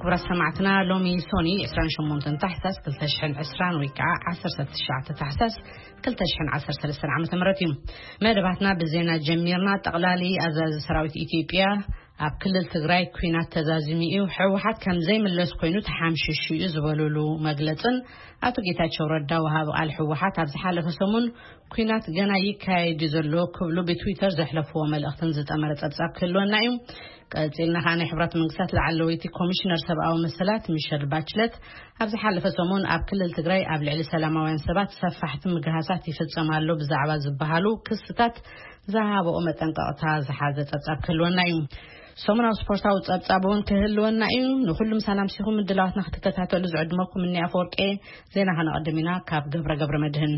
ክቡራት ሰማዕትና፣ ሎሚ ሶኒ ዕስራን ሸሞንተን ታሕሳስ ክልተ ሽሕን ዕስራን ወይ ከዓ ዓሰርተ ትሽዓተ ታሕሳስ ክልተ ሽሕን ዓሰርተ ሰለስተን ዓመተ ምህረት እዩ። መደባትና ብዜና ጀሚርና። ጠቕላሊ ኣዛዚ ሰራዊት ኢትዮጵያ ኣብ ክልል ትግራይ ኲናት ተዛዚሙ እዩ፣ ህወሓት ከም ዘይምለስ ኮይኑ ተሓምሽሹ እዩ ዝበሉሉ መግለጽን ኣቶ ጌታቸው ረዳ ወሃቢ ቃል ህወሓት ኣብ ዝሓለፈ ሰሙን ኲናት ገና ይካየድ እዩ ዘሎ ክብሉ ብትዊተር ዘሕለፍዎ መልእኽትን ዝጠመረ ጸብጻብ ክህልወና እዩ። ቀጺልና ከኣ ናይ ሕብራት መንግስታት ላዕለወይቲ ኮሚሽነር ሰብኣዊ መሰላት ሚሸል ባችለት ኣብ ዝሓለፈ ሰሙን ኣብ ክልል ትግራይ ኣብ ልዕሊ ሰላማውያን ሰባት ሰፋሕቲ ምግሃሳት ይፍጸም ኣሎ ብዛዕባ ዝበሃሉ ክስታት ዝሃበኦ መጠንቀቕታ ዝሓዘ ጸብጻብ ክህልወና እዩ። ሰሙናዊ ስፖርታዊ ጸብጻብ እውን ክህልወና እዩ። ንኹሉ ምሳና ምሲኹም ምድላዋትና ክትከታተሉ ዝዕድመኩም እኒ ኣፈወርቄ። ዜና ከነቐድም ኢና። ካብ ገብረ ገብረ መድህን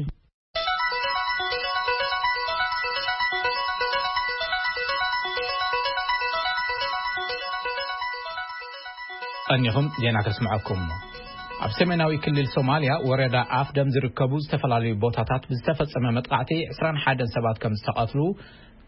ቀኒኹም ዜና ከስምዐኩም። ኣብ ሰሜናዊ ክልል ሶማልያ ወረዳ ኣፍደም ዝርከቡ ዝተፈላለዩ ቦታታት ብዝተፈጸመ መጥቃዕቲ ዕስራን ሓደን ሰባት ከም ዝተቐትሉ፣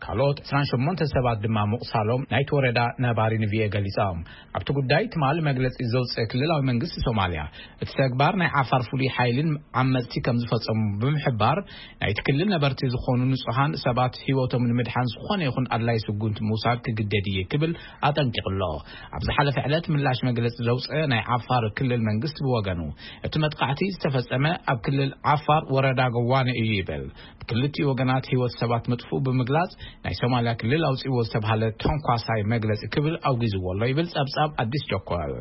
ካልኦት ዕስራን ሸሞንተ ሰባት ድማ ምቑሳሎም ናይቲ ወረዳ ነባሪ ንቪኤ ገሊጾም። ኣብቲ ጉዳይ ትማሊ መግለጺ ዘውፅአ ክልላዊ መንግስቲ ሶማልያ፣ እቲ ተግባር ናይ ዓፋር ፍሉይ ሓይልን ዓመፅቲ ከም ዝፈጸሙ ብምሕባር፣ ናይቲ ክልል ነበርቲ ዝኾኑ ንጹሃን ሰባት ህይወቶም ንምድሓን ዝኾነ ይኹን ኣድላይ ስጉምቲ ምውሳድ ክግደድ እየ ክብል ኣጠንቂቑ ኣሎ። ኣብ ዝሓለፈ ዕለት ምላሽ መግለጺ ዘውፅአ ናይ ዓፋር ክልል መንግስቲ ብወገኑ፣ እቲ መጥቃዕቲ ዝተፈጸመ ኣብ ክልል ዓፋር ወረዳ ገዋነ እዩ ይብል። ብክልቲኡ ወገናት ህይወት ሰባት ምጥፍኡ ብምግላጽ፣ ናይ ሶማልያ ክልል ኣውጺእዎ ዝተባሃለ ተንኳሳይ መግለጺ ክብል ኣውጊዝዎ ኣሎ ይብል ጸብጻብ ኣዲስ ቸኮል።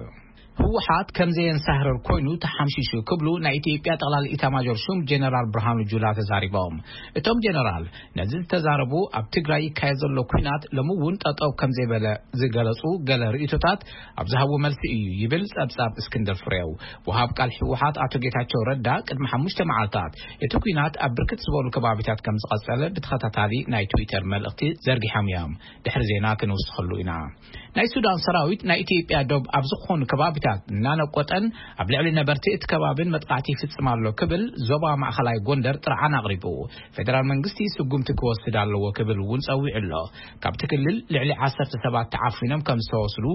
ህወሓት ከም ዘየንሳህረር ኮይኑ ተሓምሺሹ ክብሉ ናይ ኢትዮጵያ ጠቕላሊ ኢታማዦር ሹም ጀነራል ብርሃኑ ጁላ ተዛሪቦም። እቶም ጀነራል ነዚ ዝተዛረቡ፣ ኣብ ትግራይ ይካየድ ዘሎ ኲናት ሎሚ እውን ጠጠው ከም ዘይበለ ዝገለጹ ገለ ርእይቶታት ኣብ ዝሃብዎ መልሲ እዩ ይብል ጸብጻብ እስክንድር ፍሬው። ወሃብ ቃል ህወሓት ኣቶ ጌታቸው ረዳ ቅድሚ ሓሙሽተ መዓልታት እቲ ኲናት ኣብ ብርክት ዝበሉ ከባቢታት ከም ዝቐጸለ ብተኸታታሊ ናይ ትዊተር መልእኽቲ ዘርጊሖም እዮም። ድሕሪ ዜና ክንውስኸሉ ኢና። ናይ ሱዳን ሰራዊት ናይ ኢትዮጵያ ዶብ ኣብ ዝኾኑ ከባቢታት እናነቆጠን ኣብ ልዕሊ ነበርቲ እቲ ከባብን መጥቃዕቲ ይፍጽም ኣሎ ክብል ዞባ ማእኸላይ ጎንደር ጥርዓን ኣቕሪቡ። ፌደራል መንግስቲ ስጉምቲ ክወስድ ኣለዎ ክብል እውን ጸዊዑ ኣሎ። ካብቲ ክልል ልዕሊ ዓሰርተ ሰባት ተዓፊኖም ከም ዝተወስዱ፣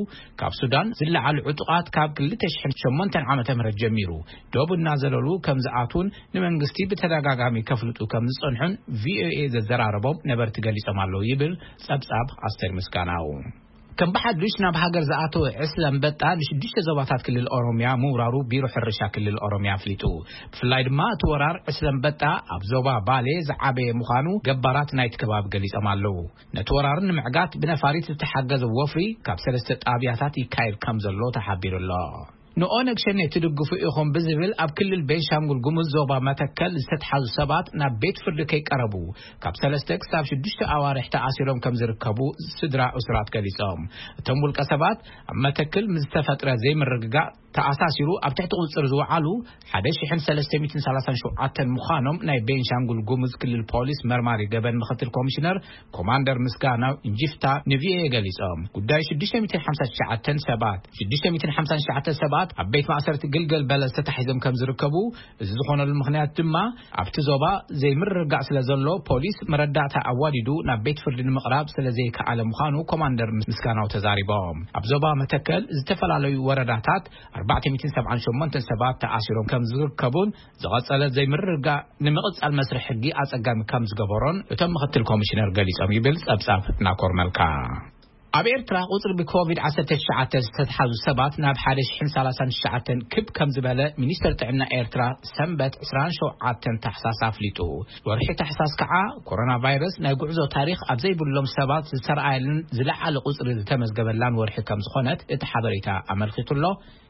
ካብ ሱዳን ዝለዓሉ ዕጡቓት ካብ ክልተ ሽሕን ሸሞንተን ዓመተ ምህረት ጀሚሩ ዶብ እናዘለሉ ከም ዝኣትዉን ንመንግስቲ ብተደጋጋሚ ከፍልጡ ከም ዝጸንሑን ቪኦኤ ዘዘራረቦም ነበርቲ ገሊጾም ኣለዉ ይብል ጸብጻብ ኣስቴር ምስጋናው። ከም ብሓዱሽ ናብ ሃገር ዝኣተወ ዕስለ ኣንበጣ ንሽዱሽተ ዞባታት ክልል ኦሮሚያ ምውራሩ ቢሮ ሕርሻ ክልል ኦሮሚያ ኣፍሊጡ። ብፍላይ ድማ እቲ ወራር ዕስለ ኣንበጣ ኣብ ዞባ ባሌ ዝዓበየ ምዃኑ ገባራት ናይቲ ከባቢ ገሊጾም ኣለዉ። ነቲ ወራር ንምዕጋት ብነፋሪት ዝተሓገዘ ወፍሪ ካብ ሰለስተ ጣብያታት ይካየድ ከም ዘሎ ተሓቢሩ ኣሎ። ንኦነግ ሸኔ ትድግፉ ኢኹም ብዝብል ኣብ ክልል ቤንሻንጉል ጉሙዝ ዞባ መተከል ዝተትሓዙ ሰባት ናብ ቤት ፍርዲ ከይቀረቡ ካብ ሰለስተ ክሳብ ሽዱሽተ ኣዋርሕ ተኣሲሮም ከም ዝርከቡ ስድራ እሱራት ገሊጾም። እቶም ውልቀ ሰባት ኣብ መተክል ምስ ዝተፈጥረ ዘይምርግጋእ ተኣሳሲሩ ኣብ ትሕቲ ቁጽጽር ዝወዓሉ ሓደ ሽሕን ሰለስተ ሚእትን ሰላሳን ሸውዓተን ምዃኖም ናይ ቤንሻንጉል ጉሙዝ ክልል ፖሊስ መርማሪ ገበን ምክትል ኮሚሽነር ኮማንደር ምስጋናው እንጂፍታ ንቪኦኤ ገሊጾም። ጉዳይ ሽዱሽተ ሚእትን ሓምሳን ትሽዓተን ሰባት፣ ሽዱሽተ ሚእትን ሓምሳን ትሽዓተን ሰባት ኣብ ቤት ማእሰርቲ ግልገል በለስ ተታሒዞም ከም ዝርከቡ፣ እዚ ዝኾነሉ ምኽንያት ድማ ኣብቲ ዞባ ዘይምርግጋእ ስለ ዘሎ ፖሊስ መረዳእታ ኣዋዲዱ ናብ ቤት ፍርዲ ንምቕራብ ስለ ዘይከኣለ ምዃኑ ኮማንደር ምስጋናው ተዛሪቦም። ኣብ ዞባ መተከል ዝተፈላለዩ ወረዳታት ኣርባዕተ ሚእትን ሰብዓን ሸሞንተን ሰባት ተኣሲሮም ከም ዝርከቡን ዝቐጸለ ዘይምርግጋእ ንምቕጻል መስርሕ ሕጊ ኣጸጋሚ ከም ዝገበሮን እቶም ምክትል ኮሚሽነር ገሊጾም ይብል ጸብጻብ ናኮር መልካ። ኣብ ኤርትራ ቁጽሪ ብኮቪድ ዓሰርተ ትሽዓተ ዝተትሓዙ ሰባት ናብ ሓደ ሽሕን ሰላሳን ትሽዓተን ክብ ከም ዝበለ ሚኒስተር ጥዕና ኤርትራ ሰንበት ዕስራን ሸውዓተን ታሕሳስ ኣፍሊጡ። ወርሒ ታሕሳስ ከዓ ኮሮና ቫይረስ ናይ ጉዕዞ ታሪኽ ኣብ ዘይብሎም ሰባት ዝተረኣየልን ዝለዓለ ቁጽሪ ዝተመዝገበላን ወርሒ ከም ዝኾነት እቲ ሓበሬታ ኣመልኪቱ ኣሎ።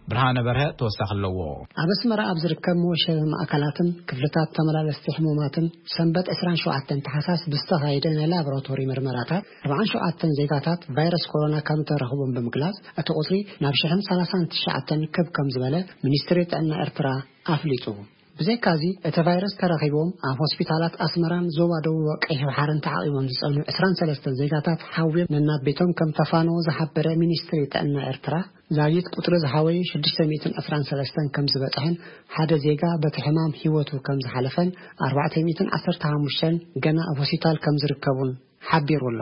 ብርሃነ በርሀ ተወሳኺ ኣለዎ። ኣብ ኣስመራ ኣብ ዝርከብ መወሸቢ ማእከላትን ክፍልታት ተመላለስቲ ሕሙማትን ሰንበት ዕስራን ሸውዓተን ታሕሳስ ብዝተኻየደ ናይ ላቦራቶሪ ምርመራታት ኣርባዓን ሸውዓተን ዜጋታት ቫይረስ ኮሮና ከም ተረኽቦም ብምግላጽ፣ እቲ ቁጽሪ ናብ ሽሕን ሰላሳን ትሽዓተን ክብ ከም ዝበለ ሚኒስትሪ ጥዕና ኤርትራ ኣፍሊጡ። ብዘይካዚ፣ እቲ ቫይረስ ተረኺቦም ኣብ ሆስፒታላት ኣስመራን ዞባ ደቡብ ቀይሕ ባሕርን ተዓቒቦም ዝጸንሑ ዕስራን ሰለስተን ዜጋታት ሓውዮም ነናብ ቤቶም ከም ተፋነዉ ዝሓበረ ሚኒስትሪ ጥዕና ኤርትራ፣ ዛጊት ቁጽሪ ዝሓወዩ ሽዱሽተ ሚእትን ዕስራን ሰለስተን ከም ዝበጽሐን ሓደ ዜጋ በቲ ሕማም ህይወቱ ከም ዝሓለፈን ኣርባዕተ ሚእትን ዓሰርተ ሓሙሽተን ገና ኣብ ሆስፒታል ከም ዝርከቡን ሓቢሩ ኣሎ።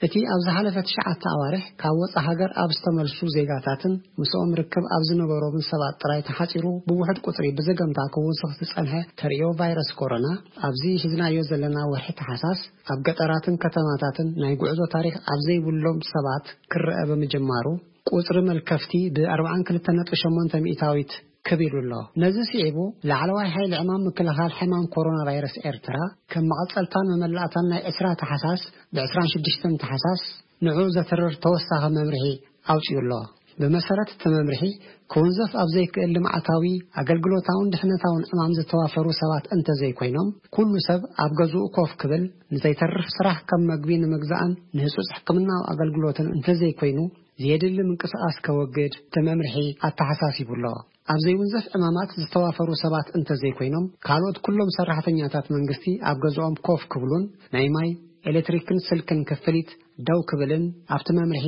እቲ ኣብ ዝሓለፈ ትሽዓተ ኣዋርሕ ካብ ወጻኢ ሃገር ኣብ ዝተመልሱ ዜጋታትን ምስኦም ርክብ ኣብ ዝነበሮምን ሰባት ጥራይ ተሓጺሩ፣ ብውሑድ ቁጽሪ ብዘገምታ ክውስኽ ዝጸንሐ ተርእዮ ቫይረስ ኮሮና፣ ኣብዚ ሒዝናዮ ዘለና ወርሒ ተሓሳስ ኣብ ገጠራትን ከተማታትን ናይ ጉዕዞ ታሪኽ ኣብ ዘይብሎም ሰባት ክረአ ብምጅማሩ፣ ቁጽሪ መልከፍቲ ብ ኣርብዓን ክልተን ነጥቢ ሸሞንተ ሚእታዊት ክብ ኢሉ ኣሎ። ነዚ ስዒቡ፣ ላዕለዋይ ሓይሊ ዕማም ምክልኻል ሕማም ኮሮና ቫይረስ ኤርትራ፣ ከም መቐጸልታን መመላእታን ናይ ዕስራ ተሓሳስ፣ ብ ዕስራን ሽዱሽተን ተሓሳስ ንዑ ዘትርር ተወሳኺ መምርሒ ኣውጺኡ ኣሎ። ብመሰረት እቲ መምርሒ፣ ክውንዘፍ ኣብ ዘይክእል ልምዓታዊ፣ ኣገልግሎታውን ድሕነታውን ዕማም ዝተዋፈሩ ሰባት እንተዘይኮይኖም፣ ኩሉ ሰብ ኣብ ገዝኡ ኮፍ ክብል፣ ንዘይተርፍ ስራሕ ከም መግቢ ንምግዛእን ንህጹጽ ሕክምናዊ ኣገልግሎትን እንተዘይኮይኑ፣ ዘየድሊ ምንቅስቓስ ከወግድ እቲ መምርሒ ኣተሓሳሲቡ ኣሎ። ኣብ ዘይውንዘፍ ዕማማት ዝተዋፈሩ ሰባት እንተዘይኮይኖም፣ ካልኦት ኩሎም ሰራሕተኛታት መንግስቲ ኣብ ገዝኦም ኮፍ ክብሉን ናይ ማይ፣ ኤሌክትሪክን ስልክን ክፍሊት ደው ክብልን ኣብቲ መምርሒ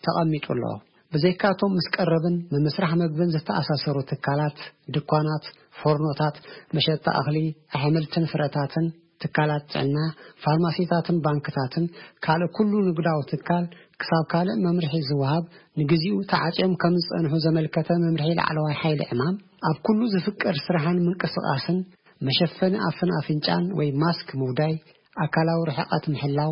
ተቐሚጡ ኣሎ። ብዘይካቶም ምስ ቀረብን ምምስራሕ መግብን ዝተኣሳሰሩ ትካላት፣ ድኳናት፣ ፎርኖታት፣ መሸጣ እኽሊ፣ ኣሕምልትን ፍረታትን፣ ትካላት ጥዕና፣ ፋርማሲታትን ባንክታትን ካልእ ኩሉ ንግዳዊ ትካል ክሳብ ካልእ መምርሒ ዝወሃብ ንግዚኡ ተዓጽዮም ከም ዝጸንሑ ዘመልከተ መምርሒ ላዕለዋይ ሓይሊ ዕማም፣ ኣብ ኩሉ ዝፍቀድ ስራሕን ምንቅስቓስን መሸፈኒ ኣፍን ኣፍንጫን ወይ ማስክ ምውዳይ፣ ኣካላዊ ርሕቀት ምሕላው፣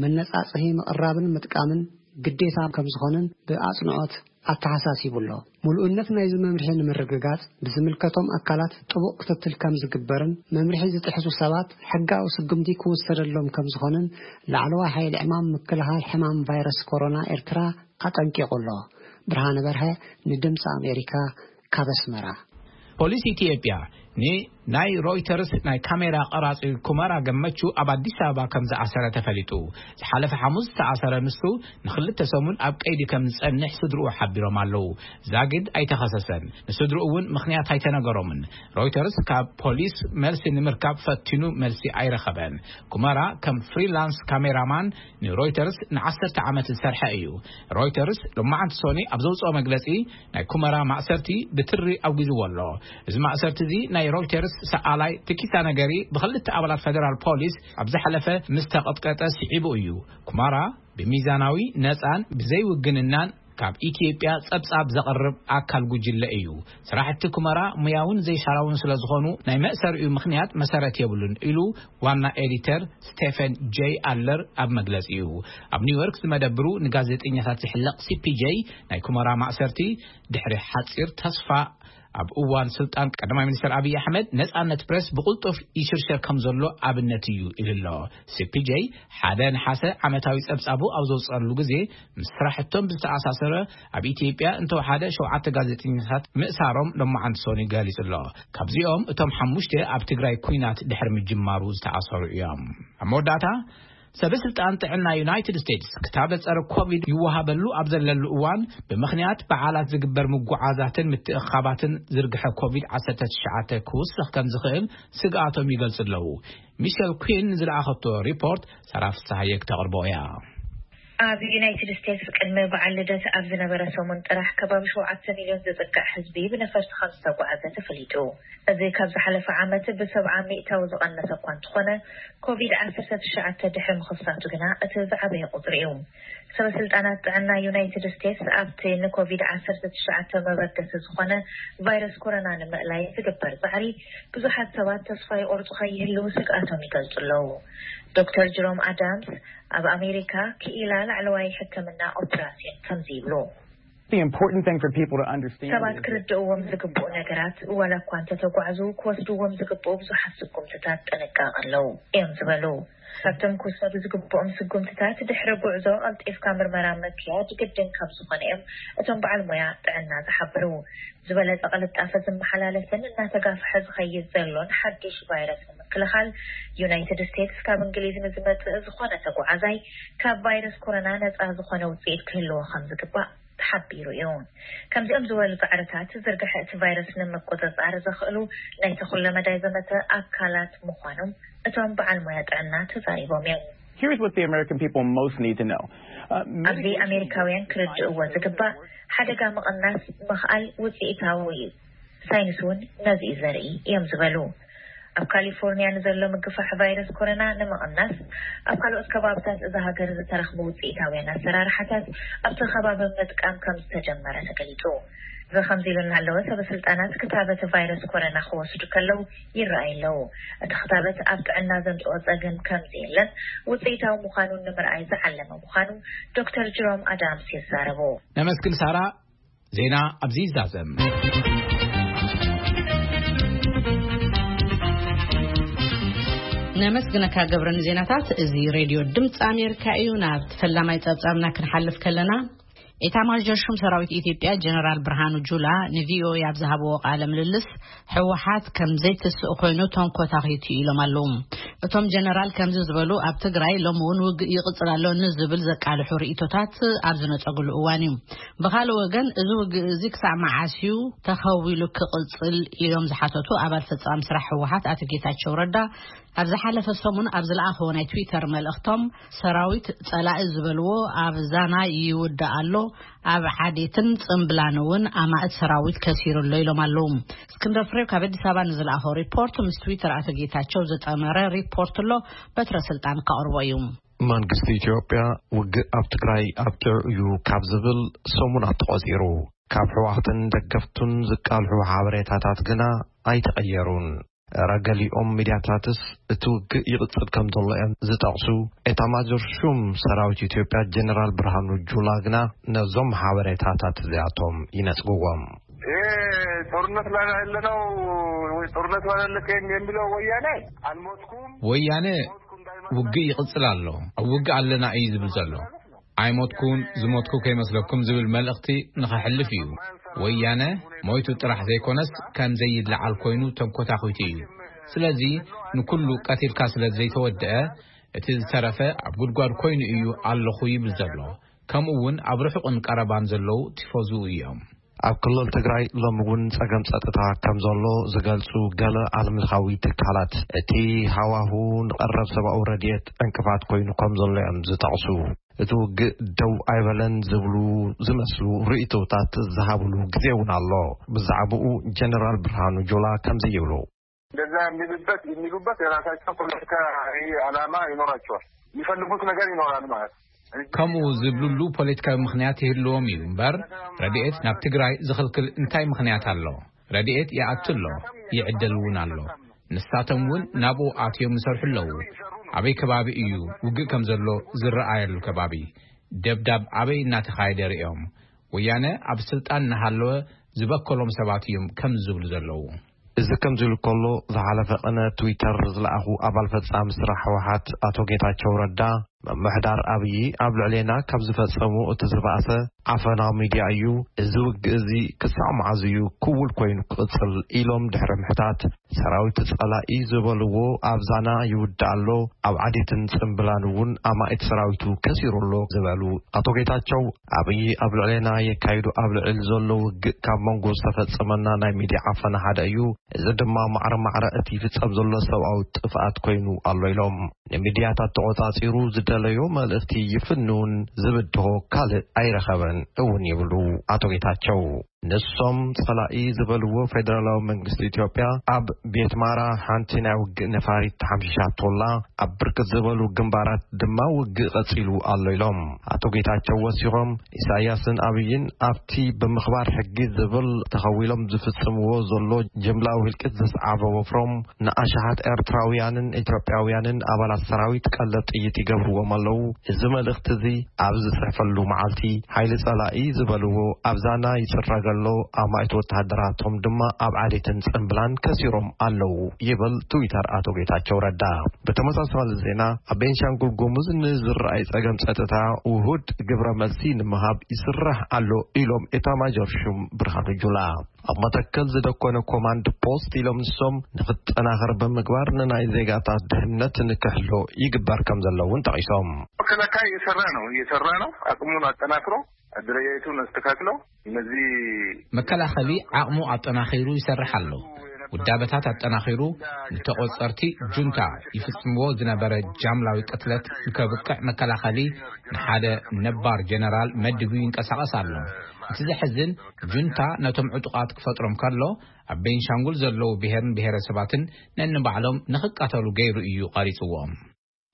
መነጻጽሂ ምቕራብን ምጥቃምን ግዴታ ከም ዝኾነን ብኣጽንዖት ኣተሓሳሲቡ ኣሎ። ምሉእነት ናይዚ መምርሒ ንምርግጋጽ ብዝምልከቶም ኣካላት ጥቡቕ ክትትል ከም ዝግበርን መምርሒ ዝጥሕሱ ሰባት ሕጋዊ ስጉምቲ ክውሰደሎም ከም ዝኾነን ላዕለዋይ ሓይሊ ዕማም ምክልኻል ሕማም ቫይረስ ኮሮና ኤርትራ ኣጠንቂቑ ኣሎ። ብርሃነ በርሀ ንድምፂ ኣሜሪካ ካብ ኣስመራ። ፖሊስ ኢትዮጵያ ንናይ ሮይተርስ ናይ ካሜራ ቀራጺ ኩመራ ገመቹ ኣብ ኣዲስ ኣበባ ከም ዝኣሰረ ተፈሊጡ። ዝሓለፈ ሓሙስ ዝተኣሰረ ንሱ ንኽልተ ሰሙን ኣብ ቀይዲ ከም ዝጸንሕ ስድርኡ ሓቢሮም ኣለዉ። ዛጊድ ኣይተኸሰሰን። ንስድርኡ እውን ምኽንያት ኣይተነገሮምን። ሮይተርስ ካብ ፖሊስ መልሲ ንምርካብ ፈቲኑ መልሲ ኣይረኸበን። ኩመራ ከም ፍሪላንስ ካሜራማን ንሮይተርስ ንዓሰርተ ዓመት ዝሰርሐ እዩ። ሮይተርስ ሎማዓንቲ ሶኒ ኣብ ዘውፅኦ መግለፂ ናይ ኩመራ ማእሰርቲ ብትሪ ኣውጊዝዎ ኣሎ። እዚ ማእሰርቲ እዚ ናይ ሮይተርስ ሰኣላይ ትኪታ ነገሪ ብክልተ ኣባላት ፈደራል ፖሊስ ኣብ ዝሓለፈ ምስ ተቐጥቀጠ ስዒቡ እዩ። ኩማራ ብሚዛናዊ፣ ነፃን ብዘይውግንናን ካብ ኢትዮጵያ ጸብጻብ ዘቕርብ ኣካል ጉጅለ እዩ። ስራሕቲ ኩመራ ሙያውን ዘይሻራውን ስለ ዝኾኑ ናይ መእሰሪኡ ምኽንያት መሰረት የብሉን ኢሉ ዋና ኤዲተር ስቴፈን ጄይ ኣለር ኣብ መግለጺኡ። ኣብ ኒውዮርክ ዝመደብሩ ንጋዜጠኛታት ዝሕለቕ ሲ ፒ ጄ ናይ ኩመራ ማእሰርቲ ድሕሪ ሓጺር ተስፋ ኣብ እዋን ስልጣን ቀዳማይ ሚኒስትር ኣብይ ኣሕመድ ነጻነት ፕሬስ ብቕልጡፍ ይሽርሸር ከም ዘሎ ኣብነት እዩ ኢሉ ኣሎ። ሲ ፒ ጄ ሓደ ነሓሰ ዓመታዊ ጸብጻቡ ኣብ ዘውጸሉ ግዜ ምስ ስራሕቶም ብዝተኣሳሰረ ኣብ ኢትዮጵያ እንተወሓደ ሸውዓተ ጋዜጠኛታት ምእሳሮም ሎማዓንቲ ሶኒ ገሊጹ ኣሎ። ካብዚኦም እቶም ሓሙሽተ ኣብ ትግራይ ኲናት ድሕሪ ምጅማሩ ዝተኣሰሩ እዮም። ኣብ መወዳእታ ሰበ ስልጣን ጥዕና ዩናይትድ ስቴትስ ክታበት ጸረ ኮቪድ ይወሃበሉ ኣብ ዘለሉ እዋን ብምኽንያት በዓላት ዝግበር ምጉዓዛትን ምትእኻባትን ዝርግሐ ኮቪድ ዓሰርተ ትሽዓተ ክውስኽ ከም ዝኽእል ስግኣቶም ይገልጹ ኣለዉ። ሚሸል ኲን ዝለኣኸቶ ሪፖርት ሰራ ፍስሃየ ክተቕርቦ እያ። ኣብ ዩናይትድ ስቴትስ ቅድሚ በዓል ልደት ኣብ ዝነበረ ሰሙን ጥራሕ ከባቢ ሸውዓተ ሚልዮን ዝጽጋዕ ህዝቢ ብነፈርቲ ከም ዝተጓዓዘ ተፈሊጡ። እዚ ካብ ዝሓለፈ ዓመት ብሰብዓ ሚእታዊ ዝቐነሰ እኳ እንተኾነ፣ ኮቪድ ዓሰርተ ትሽዓተ ድሕሪ ምኽሳቱ ግና እቲ ዝዓበየ ቁጽሪ እዩ። ሰበ ስልጣናት ጥዕና ዩናይትድ ስቴትስ ኣብቲ ንኮቪድ ዓሰርተ ትሽዓተ መበገሲ ዝኾነ ቫይረስ ኮሮና ንምእላይ ዝግበር ጻዕሪ ብዙሓት ሰባት ተስፋ ይቆርጹ ከይህልው ስግኣቶም ይገልጹ ኣለዉ። ዶክተር ጅሮም ኣዳምስ ኣብ ኣሜሪካ ክኢላ ላዕለዋይ ሕክምና ኦፕራሲዮን ከምዚ ይብሉ። The important thing for people to understand ሰባት is ክርድእዎም ዝግብኡ ነገራት፣ ዋላ እኳ እንተተጓዕዙ፣ ክወስድዎም ዝግብኡ ብዙሓት ስጉምትታት ጥንቃቐ ኣለዉ እዮም ዝበሉ። ካብቶም ክውሰዱ ዝግብኦም ስጉምትታት፣ ድሕሪ ጉዕዞ ቀልጢፍካ ምርመራ ምክያድ ግድን ከም ዝኾነ እዮም እቶም በዓል ሞያ ጥዕና ዝሓብሩ። ዝበለጸ ቅልጣፈ ዝመሓላለፍን እናተጋፍሐ ዝኸይድ ዘሎን ሓዱሽ ቫይረስ ንምክልኻል፣ ዩናይትድ ስቴትስ ካብ እንግሊዝ ንዝመጽእ ዝኾነ ተጓዓዛይ ካብ ቫይረስ ኮሮና ነጻ ዝኾነ ውጽኢት ክህልዎ ከም ዝግባእ ተሓቢሩ እዩ። ከምዚኦም ዝበሉ ጻዕርታት ዝርግሐ እቲ ቫይረስ ንምቁጽጻር ዘኽእሉ ናይ ተኹለ መዳይ ዘመተ ኣካላት ምዃኖም እቶም በዓል ሞያ ጥዕና ተዛሪቦም እዮም። Here's what the American people most need to know. Uh, ኣብዚ many- ኣሜሪካውያን ክርድእዎ ዝግባእ፣ ሓደጋ ምቕናስ ምኽኣል ውጽኢታዊ እዩ። ሳይንስ እውን ነዚ እዩ ዘርኢ እዮም ዝበሉ። ኣብ ካሊፎርኒያ ንዘሎ ምግፋሕ ቫይረስ ኮሮና ንምቕናስ፣ ኣብ ካልኦት ከባብታት እዛ ሃገር ዝተረኽቡ ውፅኢታውያን ኣሰራርሓታት ኣብቲ ከባቢ ምጥቃም ከም ዝተጀመረ ተገሊፁ። እዚ ከምዚ ኢሉ እናሃለወ፣ ሰበ ስልጣናት ክታበት ቫይረስ ኮሮና ክወስዱ ከለዉ ይረኣዩ ኣለዉ። እቲ ክታበት ኣብ ጥዕና ዘምፅኦ ፀገም ከም ዘየለን ውፅኢታዊ ምዃኑን ንምርኣይ ዝዓለመ ምዃኑ ዶክተር ጅሮም ኣዳምስ ይዛረቡ። ነመስግን ሳራ። ዜና ኣብዚ ይዛዘም። ነመስግነካ ገብረ ንዜናታት። እዚ ሬድዮ ድምፂ ኣሜሪካ እዩ። ናብ ፈላማይ ጸብጻብና ክንሓልፍ ከለና፣ ኤታማዦር ሹም ሰራዊት ኢትዮጵያ ጀነራል ብርሃኑ ጁላ ንቪኦኤ ኣብ ዝሃብዎ ቃለ ምልልስ፣ ህወሓት ከም ዘይትስእ ኮይኑ ተንኮታኺቱ ኢሎም ኣለዉ። እቶም ጀነራል ከምዚ ዝበሉ፣ ኣብ ትግራይ ሎሚ እውን ውግእ ይቕጽል ኣሎ ንዝብል ዘቃልሑ ርእይቶታት ኣብ ዝነጸግሉ እዋን እዩ። ብኻልእ ወገን፣ እዚ ውግእ እዚ ክሳዕ መዓስ እዩ ተኸዊሉ ክቕጽል ኢሎም ዝሓተቱ ኣባል ፈጻሚ ስራሕ ህወሓት ኣቶ ጌታቸው ረዳ፣ ኣብ ዝሓለፈ ሰሙን ኣብ ዝለኣኸዎ ናይ ትዊተር መልእኽቶም፣ ሰራዊት ጸላኢ ዝበልዎ ኣብ ዛና ይውዳእ ኣሎ፣ ኣብ ዓዴትን ጽምብላን እውን ኣማእት ሰራዊት ከሲሩ ኣሎ ኢሎም ኣለዉ። እስክንድር ፍሬው ካብ ኣዲስ ኣበባ ንዝለኣኸው ሪፖርት፣ ምስ ትዊተር ኣቶ ጌታቸው ዝጠመረ ሪፖርት ኣሎ፣ በትረ ስልጣን ከቕርቦ እዩ። መንግስቲ ኢትዮጵያ ውግእ ኣብ ትግራይ ኣብቂዑ እዩ ካብ ዝብል ሰሙናት ተቖጺሩ። ካብ ህወሓትን ደገፍቱን ዝቃልሑ ሓበሬታታት ግና ኣይተቐየሩን። ረገሊኦም ሚድያታትስ እቲ ውግእ ይቕጽል ከም ዘሎ እዮም ዝጠቕሱ። ኤታማጆር ሹም ሰራዊት ኢትዮጵያ ጀነራል ብርሃኑ ጁላ ግና ነዞም ሓበሬታታት እዚኣቶም ይነጽግዎም። ይሄ ጦርነት ላይ ያለ ነው ወይ ጦርነት ላይ ያለ የሚለው ወያኔ አልሞትኩም፣ ወያኔ ውግእ ይቕጽል ኣሎ፣ ኣብ ውግእ ኣለና እዩ ዝብል ዘሎ። ኣይሞትኩን፣ ዝሞትኩ ከይመስለኩም ዝብል መልእኽቲ ንኸሕልፍ እዩ። ወያነ ሞይቱ ጥራሕ ዘይኮነስ፣ ከም ዘይለዓል ኮይኑ ተንኮታኺቱ እዩ። ስለዚ ንኩሉ ቀቲልካ ስለ ዘይተወደአ፣ እቲ ዝተረፈ ኣብ ጉድጓድ ኮይኑ እዩ ኣለኹ ይብል ዘሎ። ከምኡ እውን ኣብ ርሑቕን ቀረባን ዘለዉ ቲፎዝኡ እዮም። ኣብ ክልል ትግራይ ሎሚ እውን ጸገም ጸጥታ ከም ዘሎ ዝገልጹ ገለ ዓለምለኻዊ ትካላት፣ እቲ ሃዋሁ ንቐረብ ሰብኣዊ ረድኤት ዕንቅፋት ኮይኑ ከም ዘሎ እዮም ዝጠቕሱ። እቲ ውግእ ደው ኣይበለን ዝብሉ ዝመስሉ ርእይቶታት ዝሃብሉ ግዜ እውን ኣሎ። ብዛዕባኡ ጀነራል ብርሃኑ ጁላ ከምዚ ይብሉ። እንደዛ የሚሉበት የሚሉበት የራሳቸው ፖለቲካዊ ዓላማ ይኖራቸዋል። የሚፈልጉት ነገር ይኖራል ማለት ነው። ከምኡ ዝብሉሉ ፖለቲካዊ ምኽንያት ይህልዎም እዩ እምበር፣ ረድኤት ናብ ትግራይ ዝኽልክል እንታይ ምኽንያት ኣሎ? ረድኤት ይኣቱ ኣሎ፣ ይዕደል እውን ኣሎ። ንሳቶም እውን ናብኡ ኣትዮም ይሰርሑ ኣለዉ። ኣበይ ከባቢ እዩ ውግእ ከም ዘሎ ዝረኣየሉ ከባቢ? ደብዳብ ኣበይ እናተኻየደ ርእዮም? ወያነ ኣብ ስልጣን እናሃለወ ዝበከሎም ሰባት እዮም ከምዚ ዝብሉ ዘለዉ። እዚ ከምዚ ኢሉ ከሎ፣ ዝሓለፈ ቅነ ትዊተር ዝለኣኹ ኣባል ፈጻሚ ስራሕ ህወሓት ኣቶ ጌታቸው ረዳ፣ ምምሕዳር ኣብዪ ኣብ ልዕሌና ካብ ዝፈጸሙ እቲ ዝበኣሰ ዓፈናዊ ሚድያ እዩ። እዚ ውግእ እዚ ክሳዕ መዓዝ እዩ ክውል ኮይኑ ክቕጽል ኢሎም ድሕሪ ምሕታት፣ ሰራዊት ጸላኢ ዝበልዎ ኣብ ዛና ይውዳእ ኣሎ፣ ኣብ ዓዴትን ጽምብላን እውን ኣማኢት ሰራዊቱ ከሲሩ ኣሎ ዝበሉ ኣቶ ጌታቸው፣ ኣብዪ ኣብ ልዕሌና የካይዱ ኣብ ልዕል ዘሎ ውግእ ካብ መንጎ ዝተፈጸመና ናይ ሚድያ ዓፈና ሓደ እዩ። እዚ ድማ ማዕረ ማዕረ እቲ ይፍጸም ዘሎ ሰብኣዊ ጥፍኣት ኮይኑ ኣሎ ኢሎም። ንሚድያታት ተቖጻጺሩ ዝደለዮ መልእኽቲ ይፍንውን ዝብድሆ ካልእ ኣይረኸበን እውን ይብሉ ኣቶ ጌታቸው። ንሶም ጸላኢ ዝበልዎ ፌደራላዊ መንግስቲ ኢትዮጵያ ኣብ ቤት ማራ ሓንቲ ናይ ውግእ ነፋሪት ተሓምሺሻቶላ፣ ኣብ ብርክት ዝበሉ ግንባራት ድማ ውግእ ቀጺሉ ኣሎ ኢሎም። ኣቶ ጌታቸው ወሲኾም፣ ኢሳያስን ኣብይን ኣብቲ ብምኽባር ሕጊ ዝብል ተኸዊሎም ዝፍጽምዎ ዘሎ ጅምላዊ ህልቂት ዘስዓበ ወፍሮም ንኣሽሓት ኤርትራውያንን ኢትዮጵያውያንን ኣባላት ሰራዊት ቀለብ ጥይት ይገብርዎም ኣለዉ። እዚ መልእኽቲ እዚ ኣብ ዝጽሕፈሉ መዓልቲ፣ ሓይሊ ጸላኢ ዝበልዎ ኣብ ዛና ይጽረግ ኣሎ፣ ኣማኢት ወተሃደራቶም ድማ ኣብ ዓሌትን ጽምብላን ከሲሮም ኣለዉ ይብል ትዊተር ኣቶ ጌታቸው ረዳ። ብተመሳሳሊ ዜና፣ ኣብ ቤንሻንጉል ጉሙዝ ንዝረኣይ ጸገም ጸጥታ ውሁድ ግብረ መልሲ ንምሃብ ይስራሕ ኣሎ ኢሎም ኤታማዦር ሹም ብርሃኑ ጁላ። ኣብ መተከል ዝደኮነ ኮማንድ ፖስት ኢሎም ንሶም ንክጠናኸር ብምግባር ንናይ ዜጋታት ድሕነት ንክሕሎ ይግበር ከም ዘለውን ጠቒሶም። መከላከያ እየሰራ ነው፣ እየሰራ ነው። አቅሙን አጠናክሮ አደረጃጀቱን አስተካክለው እነዚህ መከላኸሊ ዓቕሙ ኣጠናኺሩ ይሰርሕ ኣሎ። ውዳበታት ኣጠናኺሩ ንተቖጸርቲ ጁንታ ይፍጽምዎ ዝነበረ ጃምላዊ ቅትለት ንከብቅዕ መከላኸሊ ንሓደ ነባር ጀነራል መዲቡ ይንቀሳቐስ ኣሎ። እቲ ዘሕዝን፣ ጁንታ ነቶም ዕጡቓት ክፈጥሮም ከሎ፣ ኣብ ቤንሻንጉል ዘለዉ ብሄርን ብሄረሰባትን ነንባዕሎም ንኽቃተሉ ገይሩ እዩ ቐሪጽዎም።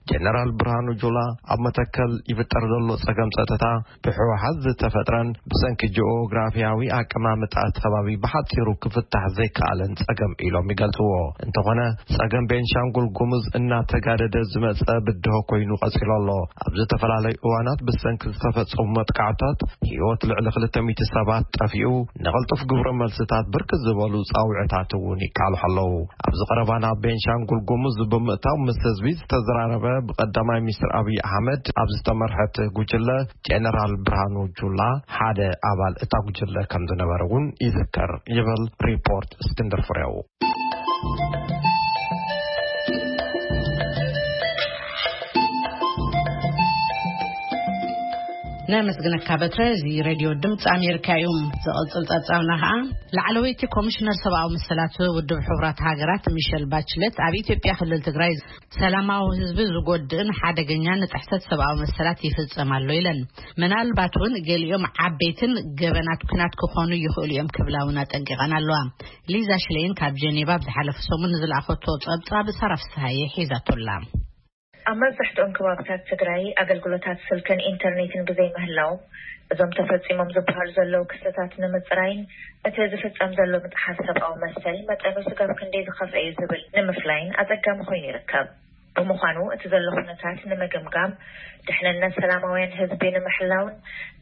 ጀነራል ብርሃኑ ጁላ፣ ኣብ መተከል ይፍጠር ዘሎ ጸገም ጸጥታ ብህወሓት ዝተፈጥረን ብሰንኪ ጂኦግራፊያዊ ኣቀማምጣ እቲ ከባቢ ብሓጺሩ ክፍታሕ ዘይከኣለን ጸገም ኢሎም ይገልጽዎ። እንተኾነ፣ ጸገም ቤንሻንጉል ጉሙዝ እናተጋደደ ዝመጸ ብድሆ ኮይኑ ቀጺሉ ኣሎ። ኣብ ዝተፈላለዩ እዋናት ብሰንኪ ዝተፈጸሙ መጥቃዕታት ህይወት ልዕሊ ክልተ ሚእቲ ሰባት ጠፊኡ፣ ንቕልጡፍ ግብረ መልስታት ብርክት ዝበሉ ጻውዕታት እውን ይቃልሑ ኣለዉ። ኣብዚ ቀረባ ናብ ቤንሻንጉል ጉሙዝ ብምእታው ምስ ህዝቢ ዝተዘራረበ ብቀዳማይ ሚኒስትር ኣብይ ኣሕመድ ኣብ ዝተመርሐት ጉጅለ ጀነራል ብርሃኑ ጁላ ሓደ ኣባል እታ ጉጅለ ከም ዝነበረ እውን ይዝከር ይብል ሪፖርት እስክንድር ፍሬው። ነመስግነካ በትረ። እዚ ሬድዮ ድምፂ ኣሜሪካ እዩ። ዝቕፅል ፀብፃብና ከዓ፣ ላዕለወይቲ ኮሚሽነር ሰብኣዊ መሰላት ውድብ ሕቡራት ሃገራት ሚሸል ባችለት ኣብ ኢትዮጵያ ክልል ትግራይ ሰላማዊ ህዝቢ ዝጎድእን ሓደገኛን ጥሕሰት ሰብኣዊ መሰላት ይፍጸም ኣሎ ኢለን። ምናልባት እውን ገሊኦም ዓበይትን ገበናት ኲናት ክኾኑ ይኽእሉ እዮም ክብላ እውን ኣጠንቂቐን ኣለዋ። ሊዛ ሽሌይን ካብ ጀኔቫ ኣብ ዝሓለፈ ሰሙን ንዝለኣኸቶ ጸብጻብ ሳራ ፍስሃየ ሒዛቶላ። ኣብ መብዛሕትኦም ከባብታት ትግራይ ኣገልግሎታት ስልክን ኢንተርኔትን ብዘይምህላዎም፣ እዞም ተፈጺሞም ዝበሃሉ ዘለዉ ክስተታት ንምጽራይን እቲ ዝፍጸም ዘሎ ምጥሓስ ሰብኣዊ መሰል መጠኑ ስጋብ ክንደይ ዝኸፍአ እዩ ዝብል ንምፍላይን ኣጸጋሚ ኮይኑ ይርከብ። ብምዃኑ፣ እቲ ዘሎ ኩነታት ንምግምጋም፣ ድሕንነት ሰላማውያን ህዝቢ ንምሕላውን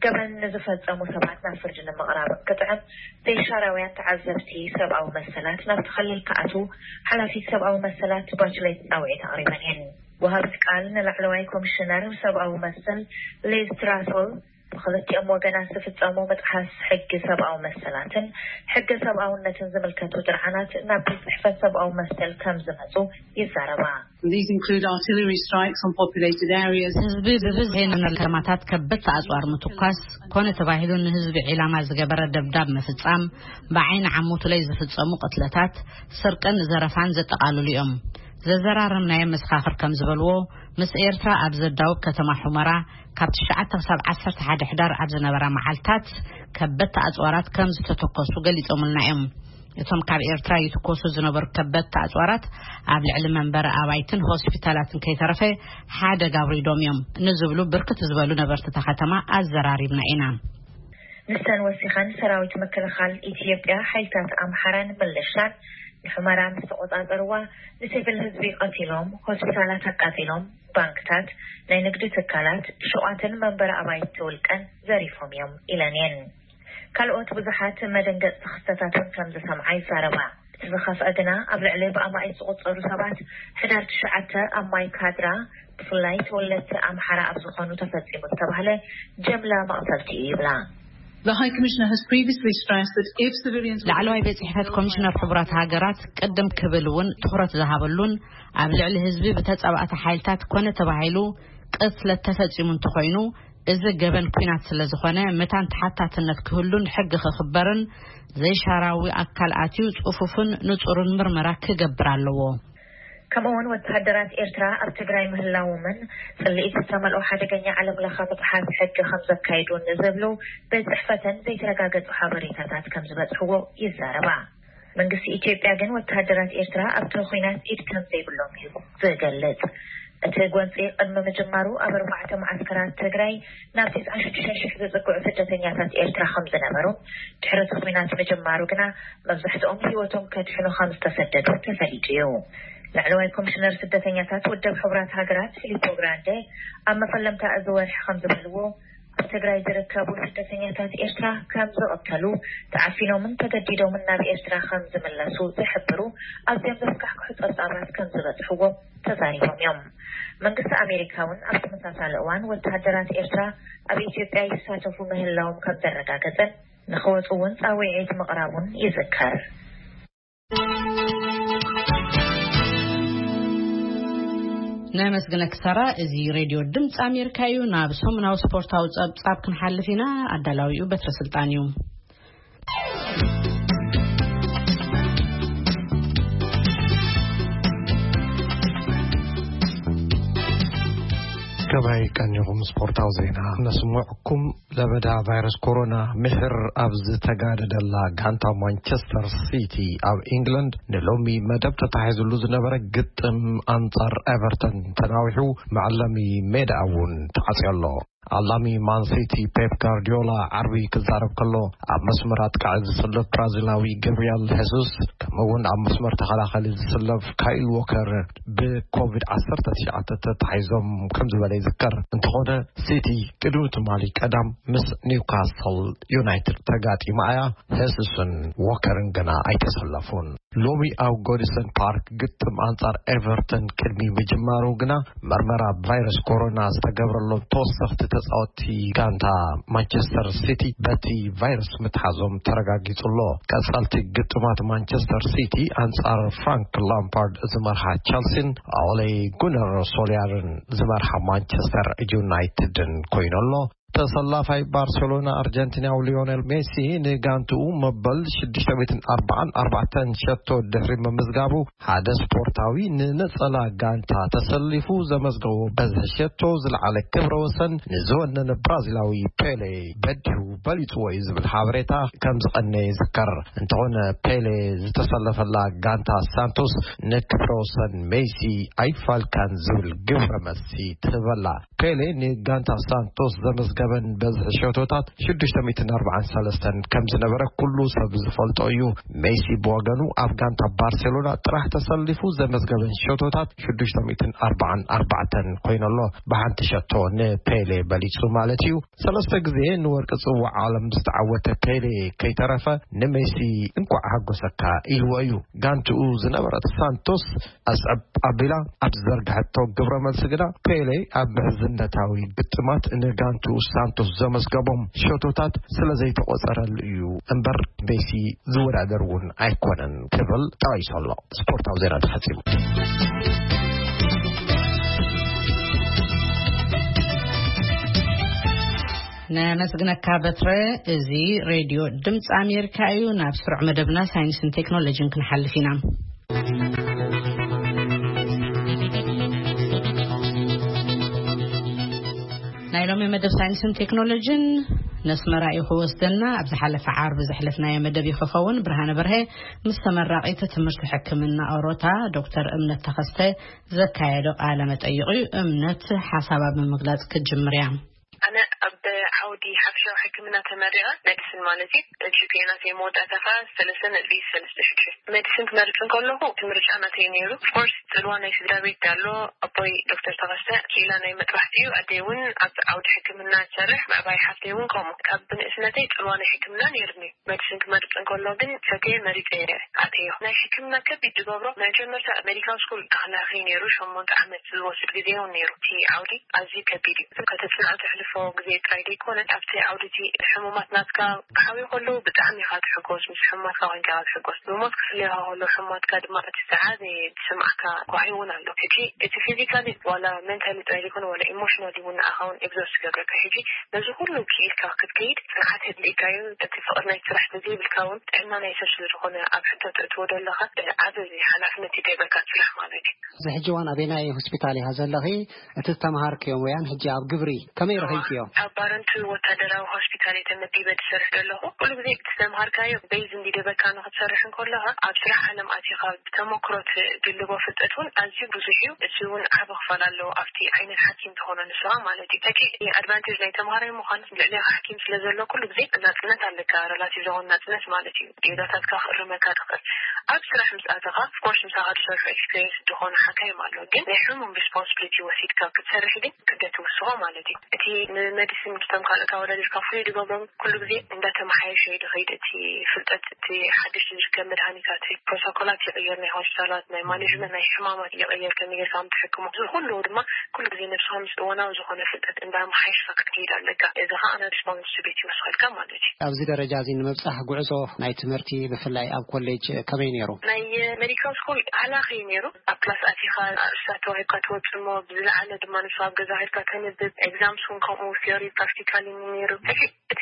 ገበን ንዝፈጸሙ ሰባት ናብ ፍርዲ ንምቕራብን ክጥዕም፣ ዘይሻራውያን ተዓዘብቲ ሰብኣዊ መሰላት ናብቲ ክልል ክኣትዉ ሓላፊት ሰብኣዊ መሰላት ባችሌት ጻውዒት ኣቕሪበን እየን። ወሃቢት ቃል ንላዕለዋይ ኮሚሽነር ሰብኣዊ መሰል ሊዝ ትራሶል፣ ብኽልቲኦም ወገናት ዝፍጸሙ ምጥሓስ ሕጊ ሰብኣዊ መሰላትን ሕገ ሰብኣውነትን ዝምልከቱ ጥርዓናት ናብ ቤት ጽሕፈት ሰብኣዊ መሰል ከም ዝመጹ ይዛረባ። These include artillery strikes on populated areas. ህዝቢ ብብዝሒ ናብ ከተማታት ከበድቲ ኣጽዋር ምትኳስ፣ ኮነ ተባሂሉ ንህዝቢ ዒላማ ዝገበረ ደብዳብ ምፍጻም፣ ብዓይኒ ዓሞቱ ላይ ዝፍጸሙ ቅትለታት፣ ስርቅን ዘረፋን ዘጠቓልሉ እዮም። ዘዘራረብናዮም መሰኻኽር ከም ዝበልዎ፣ ምስ ኤርትራ ኣብ ዘዳውብ ከተማ ሑመራ ካብ ትሽዓተ ክሳብ ዓሰርተ ሓደ ሕዳር ኣብ ዝነበራ መዓልታት ከበድቲ ኣጽዋራት ከም ዝተተኮሱ ገሊጾምልና እዮም። እቶም ካብ ኤርትራ ይትኮሱ ዝነበሩ ከበድቲ ኣጽዋራት ኣብ ልዕሊ መንበሪ ኣባይትን ሆስፒታላትን ከይተረፈ ሓደጋ ኣውሪዶም እዮም ንዝብሉ ብርክት ዝበሉ ነበርቲ እታ ከተማ ኣዘራሪብና ኢና። ንሰን ወሲኸን፣ ሰራዊት ምክልኻል ኢትዮጵያ፣ ሓይልታት ኣምሓራን ምልሻን ንሑመራ ምስ ተቖጻጸርዋ፣ ንሲቪል ህዝቢ ቀቲሎም፣ ሆስፒታላት ኣቃጺሎም፣ ባንክታት፣ ናይ ንግዲ ትካላት፣ ሹቓትን መንበሪ ኣባይቲ ውልቀን ዘሪፎም እዮም ኢለን እየን። ካልኦት ብዙሓት መደንገጽቲ ክስተታት እውን ከም ዝሰምዓ ይዛረባ። እቲ ዝኸፍአ ግና፣ ኣብ ልዕሊ ብኣማኢት ዝቑጸሩ ሰባት ሕዳር ትሽዓተ ኣብ ማይ ካድራ፣ ብፍላይ ተወለድቲ ኣምሓራ ኣብ ዝኾኑ፣ ተፈጺሙ ዝተባህለ ጀምላ መቕተልቲ እዩ ይብላ። The High Commissioner has previously stressed that if civilians ላዕለዋይ ቤት ጽሕፈት ኮሚሽነር ሕቡራት ሃገራት ቅድም ክብል እውን ትኹረት ዝሃበሉን ኣብ ልዕሊ ህዝቢ ብተጻባእቲ ሓይልታት ኮነ ተባሂሉ ቅትለት ተፈጺሙ እንተኾይኑ፣ እዚ ገበን ኲናት ስለ ዝኾነ፣ መታን ተሓታትነት ክህሉን ሕጊ ክኽበርን፣ ዘይሻራዊ ኣካል ኣትዩ ጽፉፍን ንጹርን ምርመራ ክገብር ኣለዎ። ከምኡውን ወተሃደራት ኤርትራ ኣብ ትግራይ ምህላዎምን ጽልኢት ዝተመልኦ ሓደገኛ ዓለም ለኸ ምጥሓስ ሕጊ ከም ዘካይዱ ንዝብሉ ቤት ጽሕፈተን ዘይተረጋገጹ ሓበሬታታት ከም ዝበጽሕዎ ይዛረባ። መንግስቲ ኢትዮጵያ ግን ወተሃደራት ኤርትራ ኣብቲ ኹናት ኢድ ከም ዘይብሎም እዩ ዝገልጽ። እቲ ጎንጺ ቅድሚ ምጅማሩ ኣብ ኣርባዕተ መዓስከራት ትግራይ ናብ ተስዓን ሽዱሽተን ሽሕ ዝጽግዑ ስደተኛታት ኤርትራ ከም ዝነበሩ፣ ድሕሪ እቲ ኹናት ምጅማሩ ግና መብዛሕትኦም ህይወቶም ከድሕኑ ከም ዝተሰደዱ ተፈሊጡ እዩ። ላዕለዋይ ኮሚሽነር ስደተኛታት ውድብ ሕቡራት ሃገራት ፊሊፖ ግራንዴ ኣብ መፈለምታ እዚ ወርሒ ከም ዝበልዎ፣ ኣብ ትግራይ ዝርከቡ ስደተኛታት ኤርትራ ከም ዝቕተሉ፣ ተዓፊኖምን ተገዲዶምን ናብ ኤርትራ ከም ዝምለሱ ዝሕብሩ ኣዝዮም ዘስካሕክሑ ጸብጻባት ከም ዝበጽሕዎም ተዛሪቦም እዮም። መንግስቲ ኣሜሪካ እውን ኣብ ተመሳሳሊ እዋን ወተሃደራት ኤርትራ ኣብ ኢትዮጵያ ይሳተፉ ምህላዎም ከም ዘረጋገጸን ንኽወጹ እውን ጻውዒት ምቕራቡን ይዝከር። ነመስግነኪ ሳራ። እዚ ሬድዮ ድምፂ ኣሜሪካ እዩ። ናብ ሰሙናዊ ስፖርታዊ ጸብጻብ ክንሓልፍ ኢና። ኣዳላዊኡ በትረ ስልጣን እዩ። ከመይ ቀኒኹም ስፖርታዊ ዜና ነስምዕኩም። ለበዳ ቫይረስ ኮሮና ምሕር ኣብ ዝተጋደደላ ጋንታ ማንቸስተር ሲቲ ኣብ ኢንግላንድ ንሎሚ መደብ ተታሒዝሉ ዝነበረ ግጥም ኣንጻር ኤቨርተን ተናዊሑ፣ መዐለሚ ሜዳ እውን ተዓጽዮ ኣሎ። ኣላሚ ማን ሲቲ ፔፕ ጋርዲዮላ ዓርቢ ክዛረብ ከሎ፣ ኣብ መስመር ኣጥቃዒ ዝስለፍ ብራዚላዊ ገብርኤል ሄሱስ፣ ከምኡ እውን ኣብ መስመር ተኸላኻሊ ዝስለፍ ካይል ዎከር ብኮቪድ ዓሰርተ ትሽዓተ ተታሒዞም ከም ዝበለ ይዝከር። እንተኾነ፣ ሲቲ ቅድሚ ትማሊ ቀዳም ምስ ኒውካስል ዩናይትድ ተጋጢማ እያ። ሄሱስን ዎከርን ግና ኣይተሰለፉን። ሎሚ ኣብ ጎዲሰን ፓርክ ግጥም ኣንጻር ኤቨርተን ቅድሚ ምጅማሩ ግና፣ መርመራ ቫይረስ ኮሮና ዝተገብረሎም ተወሰኽቲ ተጻወትቲ ጋንታ ማንቸስተር ሲቲ በቲ ቫይረስ ምትሓዞም ተረጋጊጹ ኣሎ። ቀጻልቲ ግጥማት ማንቸስተር ሲቲ ኣንጻር ፍራንክ ላምፓርድ ዝመርሓ ቸልሲን ኦሌ ጉነር ሶልያርን ዝመርሓ ማንቸስተር ዩናይትድን ኮይኑ ኣሎ። ተሰላፋይ ባርሴሎና ኣርጀንቲናዊ ሊዮኔል ሜሲ ንጋንትኡ መበል ሽዱሽተ ሚእትን ኣርባዓን ኣርባዕተን ሸቶ ድሕሪ ምምዝጋቡ፣ ሓደ ስፖርታዊ ንነጸላ ጋንታ ተሰሊፉ ዘመዝገቦ በዝሒ ሸቶ ዝለዓለ ክብረ ወሰን ንዝወነነ ብራዚላዊ ፔሌ በዲሁ በሊጽዎ እዩ ዝብል ሓበሬታ ከም ዝቐነ ይዝከር። እንተኾነ፣ ፔሌ ዝተሰለፈላ ጋንታ ሳንቶስ ንክብረ ወሰን ሜሲ ኣይፋልካን ዝብል ግብረ መልሲ ትህበላ። ፔሌ ንጋንታ ሳንቶስ ዘመዝገበን በዝሒ ሸቶታት ሽዱሽተ ሚእትን ኣርባዓን ሰለስተን ከም ዝነበረ ኩሉ ሰብ ዝፈልጦ እዩ። ሜሲ ብወገኑ፣ ኣብ ጋንታ ባርሴሎና ጥራሕ ተሰሊፉ ዘመዝገበን ሸቶታት ሽዱሽተ ሚእትን ኣርባዓን ኣርባዕተን ኮይኑ ኣሎ። ብሓንቲ ሸቶ ንፔሌ በሊጹ ማለት እዩ። ሰለስተ ግዜ ንወርቂ ጽዋዕ ዓለም ዝተዓወተ ፔሌ ከይተረፈ፣ ንሜሲ እንኳዕ ሓጎሰካ ኢልዎ እዩ። ጋንትኡ ዝነበረት ሳንቶስ ኣስዕብ ኣቢላ ኣብ ዝዘርግሐቶ ግብረ መልሲ ግና፣ ፔሌ ኣብ ምሕዝነታዊ ግጥማት ንጋንትኡ ሳንቶስ ዘመዝገቦም ሸቶታት ስለ ዘይተቖጸረሉ እዩ እምበር፣ ሜሲ ዝወዳደር እውን ኣይኮነን ክብል ጠቒሱ ኣሎ። ስፖርታዊ ዜና ተፈጺሙ። ነመስግነካ በትረ። እዚ ሬድዮ ድምፂ ኣሜሪካ እዩ። ናብ ስሩዕ መደብና ሳይንስን ቴክኖሎጂን ክንሓልፍ ኢና። ናይ ሎሚ መደብ ሳይንስን ቴክኖሎጂን ነስመራ እዩ ክወስደና። ኣብ ዝሓለፈ ዓርቢ ዘሕለፍናዮ መደብ እዩ ክኸውን። ብርሃነ በርሀ ምስ ተመራቒት ትምህርቲ ሕክምና ኦሮታ ዶክተር እምነት ተኸስተ ዘካየዶ ቃለ መጠይቕ እዩ። እምነት ሓሳባ ብምግላጽ ክትጅምር እያ። ኣነ ኣብ ዓውዲ ሓፈሻዊ ሕክምና ተመሪቐ፣ ሜዲሲን ማለት እዩ። ጂ ፒ ኤ ናተይ መወዳእታ ከዓ ሰለስተ ነጥቢ ሰለስተ ሽዱሽተ። ሜዲሲን ክመርጽ እንከለኹ እቲ ምርጫ ናተይ ነይሩ። ኦፍኮርስ፣ ጽልዋ ናይ ስድራ ቤት ኣሎ። ኣቦይ ዶክተር ተኸስተ ክኢላ ናይ መጥባሕቲ እዩ። ኣደይ እውን ኣብ ዓውዲ ሕክምና ትሰርሕ፣ ምዕባይ ሓፍተይ እውን ከምኡ። ካብ ብንእስነተይ ጽልዋ ናይ ሕክምና ነይሩኒ። ሜዲሲን ክመርጽ እንከሎ ግን ፈትየ መሪጸ ኣተዮ። ናይ ሕክምና ከቢድ ዝገብሮ መጀመርታ ሜዲካል ስኩል ኣኽላኺ ነይሩ፣ ሸሞንተ ዓመት ዝወስድ ግዜ እውን ነይሩ። እቲ ዓውዲ ኣዝዩ ከቢድ እዩ። ከተጽንዖ ተሕልፎ ግዜ ጥራይ ዘይኮነ፣ ኣብቲ ዓውዲ እቲ ሕሙማት ናትካ ክሓውዩ ከለዉ ብጣዕሚ ኢኻ ትሕጎስ፣ ምስ ሕሙማትካ ኮይንካ ኢኻ ትሕጎስ። ብሞት ክፍለዩኻ ከለዉ ሕሙማትካ ድማ እቲ ዝዓበየ ዝስምዓካ ጓሂ እውን ኣሎ። ሕጂ እቲ ፊዚካሊ ዋላ ሜንታሊ ጥራይ ዘይኮነ ዋላ ኢሞሽናሊ እውን ንዓኻ እውን ኤግዞስት ይገብረካ። ሕጂ ነዚ ኩሉ ክኢልካ ክትከይድ ጽንዓት የድልየካ እዩ። እቲ ፍቕሪ ናይቲ ስራሕ ተዘይብልካ እውን ጥዕና ናይ ሰብ ስለ ዝኾነ ኣብ ሕቶ ተእትዎ ዘለኻ ዓቢ ሓላፍነት ይድርበካ እቲ ስራሕ ማለት እዩ። እዚ ሕጂ እዋን ኣበየናይ ሆስፒታል ኢኻ ዘለኺ? እቲ ዝተምሃርክዮ ሙያን ሕጂ ኣብ ግብሪ ከመይ ረኺብክዮ? ኣብ ባረንቱ ወታደራዊ ሆስፒታል እየ ተመዲበ ዝሰርሕ ዘለኹ። ኩሉ ግዜ እቲ ዝተምሃርካዮ ቤዝ እንዲደበካ ንኽትሰርሕ እንከለኻ ኣብ ስራሕ ዓለም ኣቲኻ ብተመክሮ ትድልቦ ፍልጠት እውን ኣዝዩ ብዙሕ እዩ። እዚ እውን ዓቢ ክፋል ኣለዎ ኣብቲ ዓይነት ሓኪም ትኾኖ ንስኻ ማለት እዩ። እቲ ኣድቫንቴጅ ናይ ተምሃራይ ምዃን ልዕሌኻ ሓኪም ስለ ዘሎ ኩሉ ግዜ ናጽነት ኣለካ፣ ሬላቲቭ ዝኾነ ናጽነት ማለት እዩ። ጌጋታትካ ክእርመካ ትኽእል። ኣብ ስራሕ ምስ ኣተኻ፣ ኦፍኮርስ ምሳኻ ዝሰርሑ ኤክስፔሪንስ ዝኾኑ ሓካይም ኣለዉ፣ ግን ናይ ሕሙም ሪስፖንስብሊቲ ወሲድካ ክትሰርሕ ግን ክብደት ይውስኾ ማለት እዩ። እቲ ንመዲሲን ምስቶም ካልኦት ኣወዳዲርካ ፍሉይ ዝገብሮም ኩሉ ግዜ እንዳተመሓየሸ እዩ ዝኸይድ። እቲ ፍልጠት፣ እቲ ሓድሽ ዝርከብ መድሃኒታት፣ ፕሮቶኮላት ይቕየር፣ ናይ ሆስፒታላት፣ ናይ ማኔጅመንት፣ ናይ ሕማማት ይቕየር፣ ከመይ ጌርካ ከም ትሕክሞ። እዚ ኩሉ ድማ ኩሉ ግዜ ነብስኻ ምስ እዋናዊ ዝኾነ ፍልጠት እንዳመሓየሽካ ክትከይድ ኣለካ። እዚ ኸኣ ናይ ሪስፖንሲቢሊቲ ይወስኸልካ ማለት እዩ። ኣብዚ ደረጃ እዚ ንምብጻሕ ጉዕዞ ናይ ትምህርቲ ብፍላይ ኣብ ኮሌጅ ከመይ ነይሩ? ናይ ሜዲካል ስኩል ሃላኺ እዩ ነይሩ። ኣብ ክላስ ኣቲኻ ኣርእስታት ተዋሂብካ ትወጽእ እሞ፣ ብዝለዓለ ድማ ንሱ ኣብ ገዛ ሄድካ ተንብብ። ኤግዛምስ እውን ከምኡ፣ ቲዮሪ ፕራክቲካል እዩ ነይሩ። ሕጂ እቲ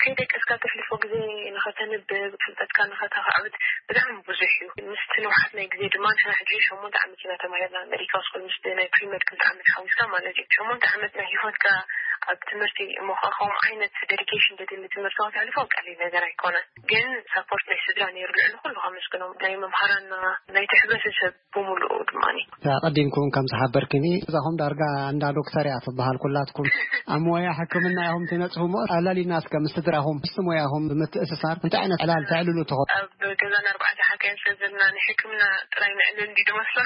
ከይደቀስካ ተሕልፎ ግዜ ንኸተንብብ፣ ፍልጠትካ ንኸተኻዕብት ብጣዕሚ ብዙሕ እዩ። ምስቲ ንውሓት ናይ ግዜ ድማ ንሕና ሕጂ ሸሞንተ ዓመት ኢና ተማሂርና ሜዲካል ስኩል፣ ምስቲ ናይ ፕሪመድ ክልተ ዓመት ሓዊስካ ማለት እዩ። ሸሞንተ ዓመት ናይ ህይወትካ ኣብ ትምህርቲ እሞ፣ ከምኡ ዓይነት ዴዲኬሽን ዘድሊ ትምህርቲ ከተሕልፎ ቀሊል ነገር ኣይኮነን። ግን ሳፖርት ናይ ስድራ ነይሩ፣ ልዕሊ ኩሉ ከመስግኖም፣ ናይ መምሃራና፣ ናይቲ ሕብረተሰብ ብምሉኡ ድማ። ኣቐዲምኩም ከም ዝሓበርክኒ፣ እዛኹም ዳርጋ እንዳ ዶክተር እያ ትበሃል ኩላትኩም። ኣብ ሞያ ሕክምና ኢኹም ትነጽፉ እሞ፣ ኣላሊና እስከ ምስ ስድራኹም፣ ምስቲ ሞያኹም ብምትእስሳር እንታይ ዓይነት ዕላል ተዕልሉ ትኾኑ? ኣብ ገዛና ኣርባዕተ ሓካይም ስለ ዘለና፣ ናይ ሕክምና ጥራይ ነዕልል እንዲ ዝመስሎ።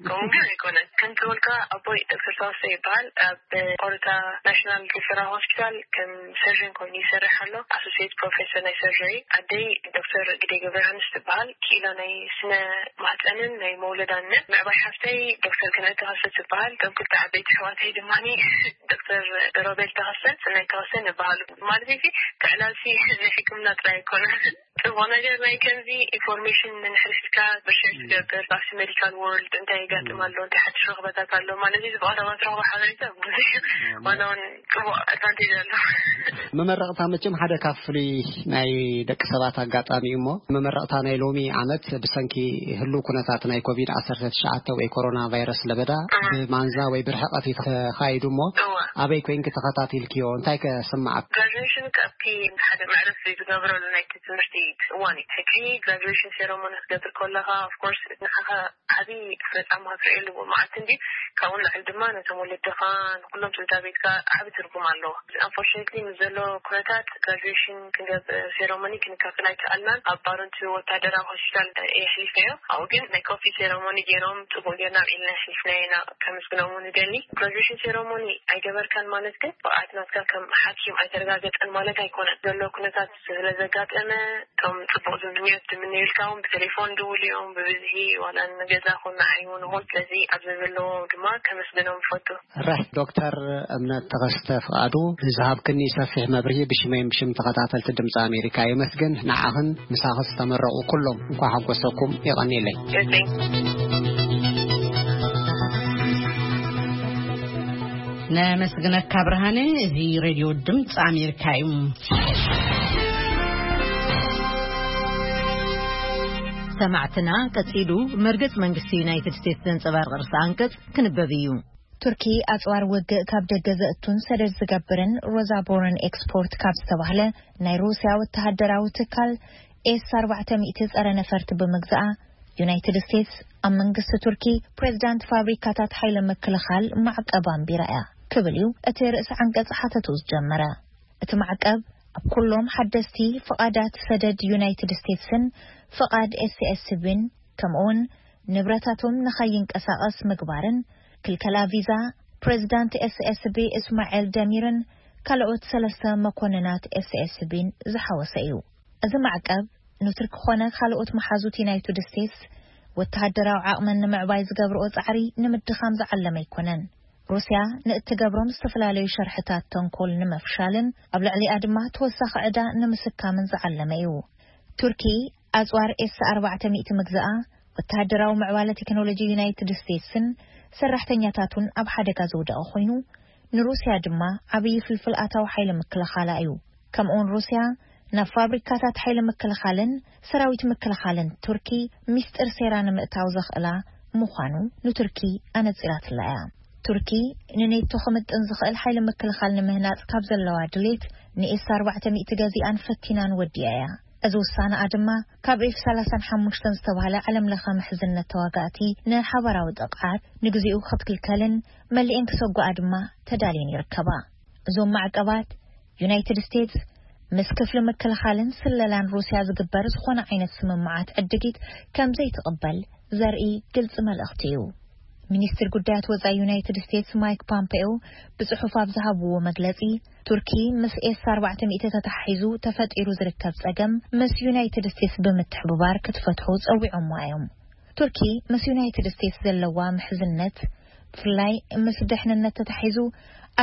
ከምኡ ግን ኣይኮነን። ከምቲ በልካ፣ ኣቦይ ዶክተር ተዋስኦ ይበሃል። ኣብ ኦሮታ ናሽናል ሪፈራል ሆስፒታል ከም ሰርጀን ኮይኑ ይሰርሕ ኣሎ። ኣሶሲየት ፕሮፌሰር ናይ ሰርጀሪ። ኣደይ ዶክተር ግደይ ገብረ ዮሃንስ ትበሃል። ክኢላ ናይ ስነ ማህፀንን ናይ መውለዳን። ምዕባይ ሓፍተይ ዶክተር ገነት ተኸስተ ትበሃል። እቶም ክልተ ዓበይቲ ኣሕዋተይ ድማ ዶክተር ሮቤል ተኸስተ፣ ሰናይ ተኸስተ ይበሃሉ። ማለት እዚ፣ እቲ ዕላልሲ ናይ ሕክምና ጥራይ ኣይኮነን። ጽቡቕ ነገር ናይ ከምዚ ኢንፎርሜሽን ንሕርሽካ ብሸር ትገብር፣ ኣብቲ ሜዲካል ወርልድ እንታይ ይጋጥም ኣሎ፣ እንታይ ሓድሽ ረኽበታት ኣሎ፣ ማለት እዚ ብቐረባ ትረኽቦ ሓበሬታ ብዙሕ እዩ። ዋላ እውን ጽቡቕ ኣድቫንቴጅ ኣሎ። መመረቕታ መቸም ሓደ ካብ ፍሉይ ናይ ደቂ ሰባት ኣጋጣሚ እዩ እሞ፣ መመረቕታ ናይ ሎሚ ዓመት ብሰንኪ ህሉው ኩነታት ናይ ኮቪድ ዓሰርተ ትሽዓተ ወይ ኮሮና ቫይረስ ለበዳ፣ ብማንዛ ወይ ብርሕቐት እዩ ተኻይዱ እሞ፣ እወ። ኣበይ ኮይንኪ ተኸታቲልክዮ? እንታይ ከ ስምዓክ? ግራጁዌሽን ካብቲ ሓደ መዕረፊ ዝገብረሉ ናይቲ ትምህርቲ እዋን እዩ። ሕጂ ግራጁዌሽን ሴረሞኒ ክትገብር ከለኻ፣ ኦፍኮርስ፣ ንዓኻ ዓቢ ፈጻማ ክትርእየሉ መዓልቲ እንዲ፣ ካብኡ ንላዕሊ ድማ ነቶም ወለድኻ፣ ንኩሎም ስድራ ቤትካ ዓቢ ትርጉም ኣለዎ። ኣንፎርቹኔትሊ፣ ምስ ዘሎ ኩነታት ግራጁዌሽን ክንገብር ሴረሞኒ ክንካፈል ኣይከኣልናን። ኣብ ባረንቱ ወታደራዊ ሆስፒታል እየ ኣሕሊፈዮ። ኣብኡ ግን ናይ ኮፊ ሴረሞኒ ገይሮም፣ ጽቡቕ ጌርና ኣብዒልና ኣሕሊፍናዮ ኢና። ከመስግኖም እውን እደሊ። ግራጁዌሽን ሴረሞኒ ኣይገበርካን ማለት ግን ብቕዓት ናትካ ከም ሓኪም ኣይተረጋገጸን ማለት ኣይኮነን። ዘሎ ኩነታት ስለ ዘጋጠመ፣ እቶም ጽቡቕ ዝምንዮት ዝምነዩልካ እውን ብቴሌፎን ድውል እዮም፣ ብብዝሒ ዋላ ንገዛ ኹን ንዓይ እውን ይኹን። ስለዚ ኣብ ዘዘለዎ ድማ ከመስግኖም እፈቱ። ራሕ ዶክተር እምነት ተኸስተ ፍቓዱ፣ ንዝሃብክኒ ሰፊሕ መብርሂ ብሽመይን ብሽም ተኸታተልቲ ድምፂ ኣሜሪካ የመስግን። ንዓኽን ምሳኺ ዝተመረቑ ኩሎም እንኳዕ ሓጎሰኩም። የቐንየለይ። ነመስግነካ ብርሃነ። እዚ ሬድዮ ድምፂ ኣሜሪካ እዩ። ሰማዕትና፣ ቀጺሉ መርገጽ መንግስቲ ዩናይትድ ስቴትስ ዘንጸባርቕ ርእሰ ኣንቀጽ ክንበብ እዩ። ቱርኪ ኣጽዋር ውግእ ካብ ደገ ዘእቱን ሰደድ ዝገብርን ሮዛ ቦረን ኤክስፖርት ካብ ዝተባህለ ናይ ሩስያ ወተሃደራዊ ትካል ኤስ ኣርባዕተ ሚእቲ ጸረ ነፈርቲ ብምግዛኣ፣ ዩናይትድ ስቴትስ ኣብ መንግስቲ ቱርኪ ፕሬዝዳንት ፋብሪካታት ሓይሊ ምክልኻል ማዕቀብ ኣንቢራ እያ ክብል እዩ እቲ ርእሰ ዓንቀጽ ሓተቱ ዝጀመረ። እቲ ማዕቀብ ኣብ ኩሎም ሓደስቲ ፍቓዳት ሰደድ ዩናይትድ ስቴትስን ፍቓድ ኤስኤስቢን፣ ከምኡውን ንብረታቶም ንኸይንቀሳቐስ ምግባርን፣ ክልከላ ቪዛ ፕሬዝዳንት ኤስኤስቢ እስማኤል ደሚርን ካልኦት ሰለስተ መኮንናት ኤስኤስቢን ዝሓወሰ እዩ። እዚ ማዕቀብ ንቱርኪ ኮነ ካልኦት መሓዙት ዩናይትድ ስቴትስ ወተሃደራዊ ዓቕመን ንምዕባይ ዝገብርኦ ጻዕሪ ንምድኻም ዝዓለመ ኣይኮነን። ሩስያ ንእትገብሮም ዝተፈላለዩ ሸርሕታት ተንኮል ንምፍሻልን ኣብ ልዕሊኣ ድማ ተወሳኺ ዕዳ ንምስካምን ዝዓለመ እዩ። ቱርኪ ኣጽዋር ኤስ ኣርባዕተ ሚእቲ ምግዛኣ፣ ወተሃደራዊ ምዕባለ ቴክኖሎጂ ዩናይትድ ስቴትስን ሰራሕተኛታቱን ኣብ ሓደጋ ዘውደቐ ኮይኑ፣ ንሩስያ ድማ ዓብዪ ፍልፍል ኣታዊ ሓይሊ ምክልኻላ እዩ። ከምኡውን ሩስያ ናብ ፋብሪካታት ሓይሊ ምክልኻልን ሰራዊት ምክልኻልን ቱርኪ ሚስጥር ሴራ ንምእታው ዘኽእላ ምዃኑ ንቱርኪ ኣነጺራትላ እያ። ቱርኪ ንኔቶ ክምጥን ዝኽእል ሓይሊ ምክልኻል ንምህናጽ ካብ ዘለዋ ድሌት፣ ንኤስ ኣርባዕተ ሚእቲ ገዚኣን ፈቲናን ወዲኣ እያ። እዚ ውሳነኣ ድማ ካብ ኤፍ ሰላሳን ሓሙሽተን ዝተባህለ ዓለም ለኸ ምሕዝነት ተዋጋእቲ ንሓባራዊ ጥቕዓት ንግዚኡ ክትክልከልን መሊኤን ክሰጉኣ ድማ ተዳልየን ይርከባ። እዞም ማዕቀባት ዩናይትድ ስቴትስ ምስ ክፍሊ ምክልኻልን ስለላን ሩስያ ዝግበር ዝኾነ ዓይነት ስምምዓት ዕድጊት ከም ዘይትቕበል ዘርኢ ግልጺ መልእኽቲ እዩ። ሚኒስትር ጉዳያት ወጻኢ ዩናይትድ ስቴትስ ማይክ ፖምፔዮ ብጽሑፍ ኣብ ዝሃብዎ መግለጺ፣ ቱርኪ ምስ ኤስ ኣርባዕተ ሚእቲ ተተሓሒዙ ተፈጢሩ ዝርከብ ጸገም ምስ ዩናይትድ ስቴትስ ብምትሕብባር ክትፈትሑ ጸዊዖምዋ እዮም። ቱርኪ ምስ ዩናይትድ ስቴትስ ዘለዋ ምሕዝነት፣ ብፍላይ ምስ ድሕንነት ተታሒዙ፣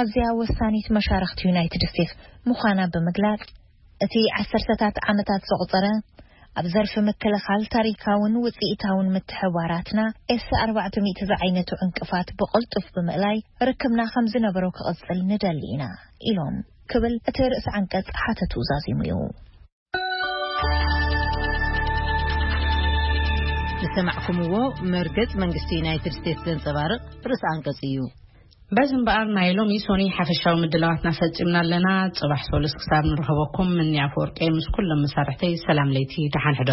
ኣዝያ ወሳኒት መሻርኽቲ ዩናይትድ ስቴትስ ምዃና ብምግላጽ፣ እቲ ዓሰርተታት ዓመታት ዘቑጸረ ኣብ ዘርፊ ምክልኻል ታሪካውን ውፅኢታውን ምትሕባራትና ኤስ ኣርባዕተ ሚእቲ ዝዓይነቱ ዕንቅፋት ብቕልጡፍ ብምእላይ ርክብና ከም ዝነበሮ ክቕፅል ንደሊ ኢና ኢሎም ክብል እቲ ርእሲ ዓንቀጽ ሓተቱ ዛዚሙ እዩ። ዝሰማዕኩምዎ መርገጽ መንግስቲ ዩናይትድ ስቴትስ ዘንጸባርቕ ርእሲ ኣንቀጽ እዩ። በዚ እምበኣር ናይ ሎሚ ሶኒ ሓፈሻዊ ምድላዋትና ፈጺምና ኣለና። ጽባሕ ሶሉስ ክሳብ ንረኸበኩም ምንያ ኣፈወርቂ ምስ ኩሎም መሳርሕተይ ሰላም ለይቲ ደሓን ሕደሩ።